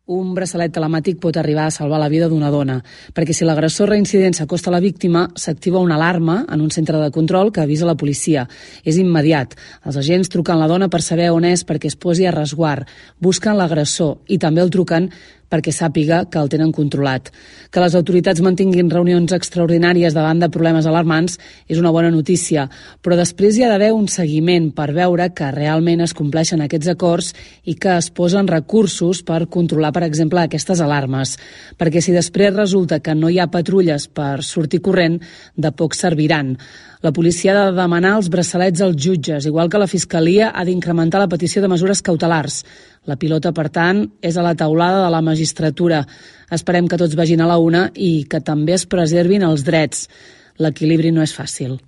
Un braçalet telemàtic pot arribar a salvar la vida d'una dona, perquè si l'agressor reincident s'acosta a la víctima, s'activa una alarma en un centre de control que avisa la policia. És immediat. Els agents truquen la dona per saber on és perquè es posi a resguard. Busquen l'agressor i també el truquen perquè sàpiga que el tenen controlat. Que les autoritats mantinguin reunions extraordinàries davant de problemes alarmants és una bona notícia, però després hi ha d'haver un seguiment per veure que realment es compleixen aquests acords i que es posen recursos per controlar, per exemple, aquestes alarmes. Perquè si després resulta que no hi ha patrulles per sortir corrent, de poc serviran. La policia ha de demanar els braçalets als jutges, igual que la Fiscalia ha d'incrementar la petició de mesures cautelars. La pilota, per tant, és a la taulada de la magistratura. Esperem que tots vagin a la una i que també es preservin els drets. L'equilibri no és fàcil.